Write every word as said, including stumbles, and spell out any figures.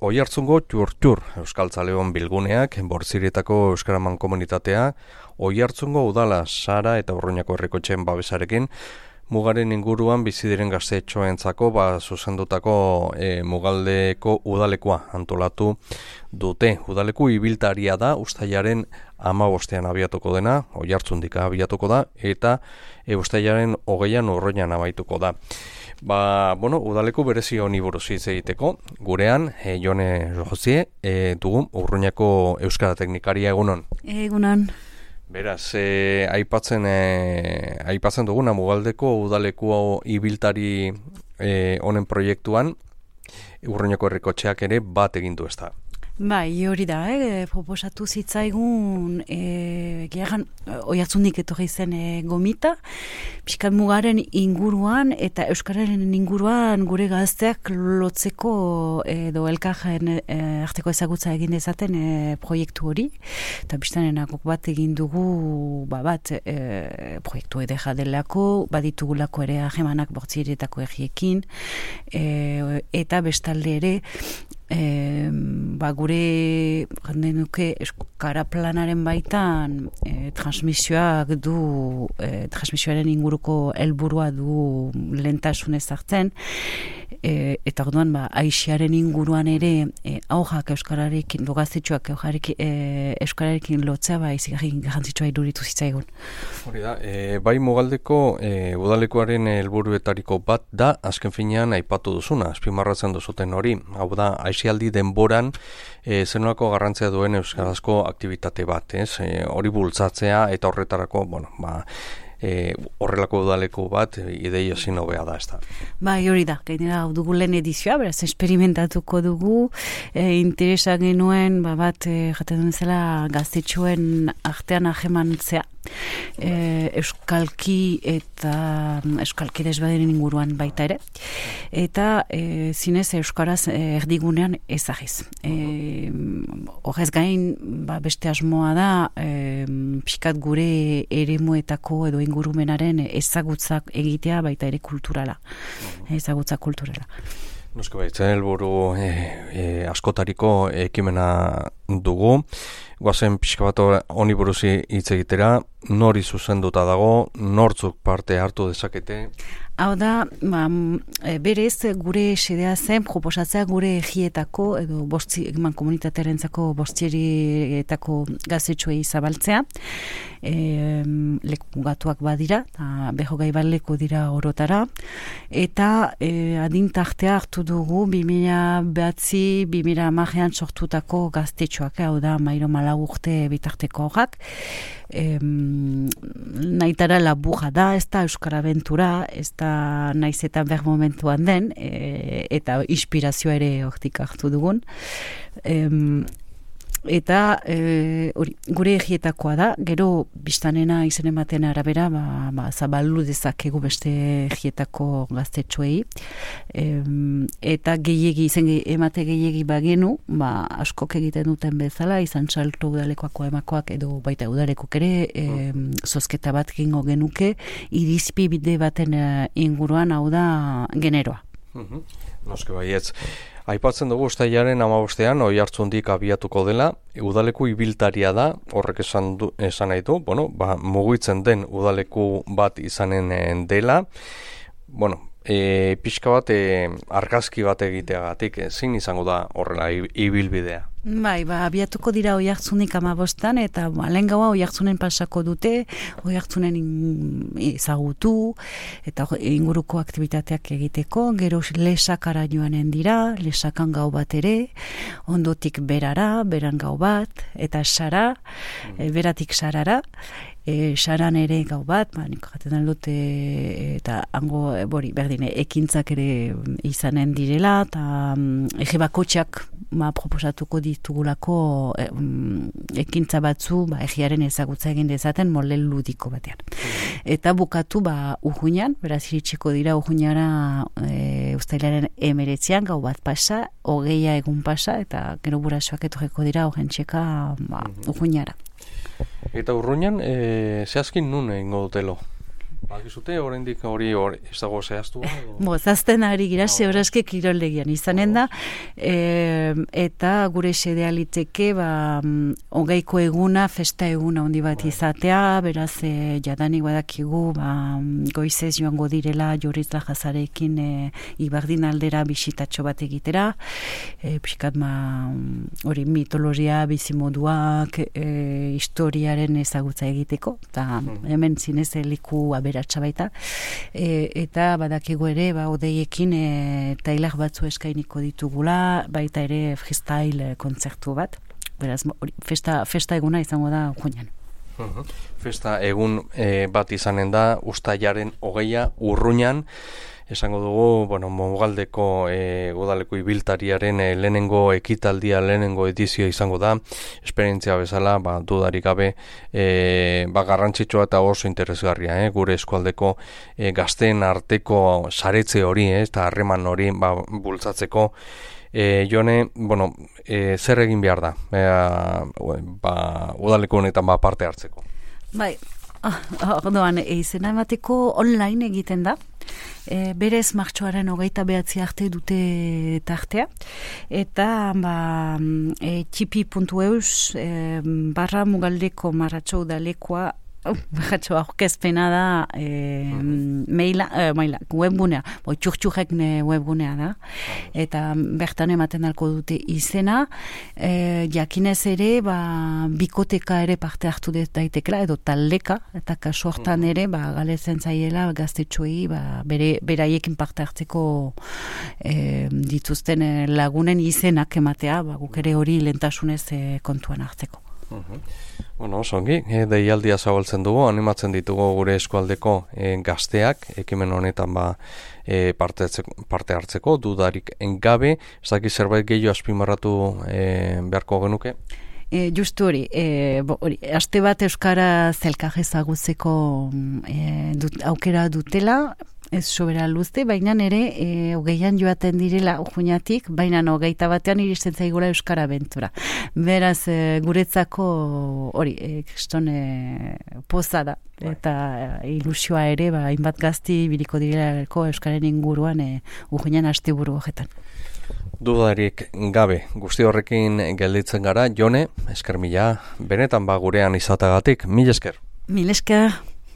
Oiartzungo txur-txur euskaltzaleon bilguneak, Bortzirietako euskaraman komunitatea, Oiartzungo udala Sara eta Urruñako herrikotxeen babesarekin, mugaren inguruan bizi diren gaztetxoentzako ba zuzendutako e, mugaldeko udalekoa antolatu dute. Udaleku ibiltaria da uztailaren hamabostean abiatuko dena, Oiartzundika abiatuko da, eta e, uztailaren hogeian Urruñan amaituko da. Ba, bueno, udaleku berezi honi buruz hitz egiteko, gurean, e, Jone Josie, e, dugun Urruñako euskara teknikaria egunon. Egunon. Beraz, e, aipatzen, e, aipatzen duguna mugaldeko udaleku ibiltari e, honen proiektuan, Urruñako herrikotxeak ere bat egin du ezta. Bai, hori da, eh? Proposatu zitzaigun e, gehan, Oiartzundik etorri zen e, gomita, pixkat mugaren inguruan eta euskararen inguruan gure gazteak lotzeko edo elkarren e, arteko ezagutza egin dezaten e, proiektu hori, eta biztanenakok bat egin dugu ba, bat e, proiektu edera delako, baditugulako ere ahemanak Bortzirietako herriekin, e, eta bestalde ere E, ba, gure nuke euskara planaren baitan e, transmisioak du e, transmisioaren inguruko helburua du lehentasunez hartzen e, eta orduan ba, aixiaren inguruan ere e, aurrak euskararekin dogaztetxoak e, euskararekin lotzea ba, izigarri garrantzitsua iduritu zitzaigun. Hori da, e, bai mugaldeko e, udalekuaren helburuetariko bat da azken finean aipatu duzuna, azpimarratzen duzuten hori, hau da aixialdi denboran e, zenolako garrantzia duen euskarazko aktivitate bat, ez? E, hori bultzatzea eta horretarako, bueno, ba, e, horrelako udaleku bat ideia ezin hobea da, ez da. Bai, hori da, gainera dugu lehen edizioa, beraz, esperimentatuko dugu, e, interesa genuen, ba, bat, e, jaten duen zela, gaztetxoen artean ahemantzea. E, euskalki eta euskalki desbaderen inguruan baita ere eta e, zinez euskaraz e, erdigunean ezagiz e, horrez gain ba, beste asmoa da e, pixkat gure eremuetako edo ingurumenaren ezagutzak egitea baita ere kulturala ezagutza kulturala. Noski baitzen helburu e, e, askotariko ekimena dugu. Guazen pixka bat honi buruz hitz egitera, nori zuzenduta dago, nortzuk parte hartu dezakete? Hau da, ba, berez gure xedea zen proposatzea gure egietako edo bostzi, eman komunitatearentzako Bortzirietako gaztetxoei zabaltzea. E, leku mugatuak badira, beho gai bat leku dira orotara, eta e, adintartea hartu dugu bi mila behatzi, bi mila hamarean sortutako gaztetxoak, hau da, mairo malau urte bitarteko horrak. E, nahitara laburra da, ez da euskara abentura, ez da naiz eta ber momentuan den, e, eta inspirazioa ere hortik hartu dugun. E, eta e, ori, gure egietakoa da, gero biztanena izen ematen arabera ba, ba, zabaldu dezakegu beste egietako gaztetxoei, e, eta gehiegi, izen emate gehiegi bagenu, ba, askok egiten duten bezala, izan txalto udalekoako emakoak edo baita udalekok ere, e, zozketa bat gingo genuke, irizpi bide baten inguruan hau da generoa. Mhm. Noske baietz. Aipatzen dugu uztailaren hamabostean Oiartzundik abiatuko dela, udaleku ibiltaria da, horrek esan, du, esan nahi du, bueno, ba, mugitzen den udaleku bat izanen dela, bueno, e, pixka bat e, argazki bat egiteagatik, ezin izango da horrela ibilbidea. Bai, ba, abiatuko dira Oiartzunik hamabostan eta ba, lehen gaua Oiartzunen pasako dute, Oiartzunen ezagutu eta inguruko aktibitateak egiteko, gero lesakara joanen dira, lesakan gau bat ere, ondotik berara, beran gau bat, eta sara, mm. e, beratik sarara, E, saran ere gau bat, ba, nik jaten dut e, eta hango, e, bori, berdine, ekintzak ere izanen direla, eta um, ege bakotxak ba, proposatuko ditugulako e, um, ekintza batzu, ba, egiaren ezagutza egin dezaten molde ludiko batean. Eta bukatu, ba, Urruñan, beraz iritsiko dira Urruñara e, uztailaren emeretzean, gau bat pasa, hogeia egun pasa, eta gero burasoak etorreko dira horren txeka ba, Urruñara. Eta Urruñan, e, zehazkin nun egingo dutelo? Bakizute, oraindik hori hori ez dago zehaztua? Bo, zazten ari gira, sehorazke kiroldegian izanen da, e, eta gure xedea liteke, ba, hogeiko eguna, festa eguna handi bat izatea, beraz, e, jadanik badakigu, ba, goizez joango direla Jorizla jazarekin e, Ibardin aldera bisitatxo bat egitera, e, pixkat, ma, hori mitologia, bizimoduak, e, historiaren ezagutza egiteko, eta hemen zinez liku aberatsa baita, e, eta badakigu ere, ba, odeiekin e, tailak batzu eskainiko ditugula, baita ere freestyle kontzertu bat, beraz, hori, festa, festa eguna izango da juinan. Uh-huh. Festa egun e, bat izanen da, ustailaren hogeia Urruñan, esango dugu, bueno, Mogaldeko e, udaleko ibiltariaren e, lehenengo ekitaldia, lehenengo edizioa izango da, esperientzia bezala, ba, dudarik gabe, e, ba, garrantzitsua eta oso interesgarria, eh? Gure eskualdeko e, gazteen arteko saretze hori, eh? Eta harreman hori, ba, bultzatzeko, E, jone, bueno, e, zer egin behar da, e, ba, udaleko honetan ba, parte hartzeko? Bai, orduan, izena emateko online egiten da, e, berez martxoaren hogeita behatzi arte dute tartea, eta ba, e, txipi puntu eus e, barra mugaldeko marratxo udalekoa Bajatxo aurkezpena da e, maila, e, maila, webgunea, boi txurtxurrek webgunea da, eta bertan ematen dalko dute izena, e, jakinez ere, ba, bikoteka ere parte hartu daitekela, edo taldeka, eta kasu hortan ere, ba, galetzen zaiela gaztetxoei, ba, bere, beraiekin parte hartzeko e, dituzten lagunen izenak ematea, ba, guk ere hori lentasunez e, kontuan hartzeko. Uhum. Bueno, osongi, e, deialdia zabaltzen dugu, animatzen ditugu gure eskualdeko e, gazteak, ekimen honetan ba, e, parte, parte hartzeko, dudarik gabe, ez dakit zerbait gehiago azpimarratu e, beharko genuke? E, justu hori, e, bo, hori, aste bat euskara zelkaj ezagutzeko e, dut, aukera dutela, ez sobera luzte, baina ere e, hogeian joaten direla juinatik, baina hogeita batean iristen zaigula euskara abentura. Beraz, e, guretzako hori, e, kriston e, poza da, eta e, ilusioa ere, ba, hainbat gazti biriko direlako euskaren inguruan e, ujuinan asteburu horretan. Dudarik gabe, guzti horrekin gelditzen gara, Jone, esker mila, benetan ba gurean izatagatik, mil esker. Mil esker.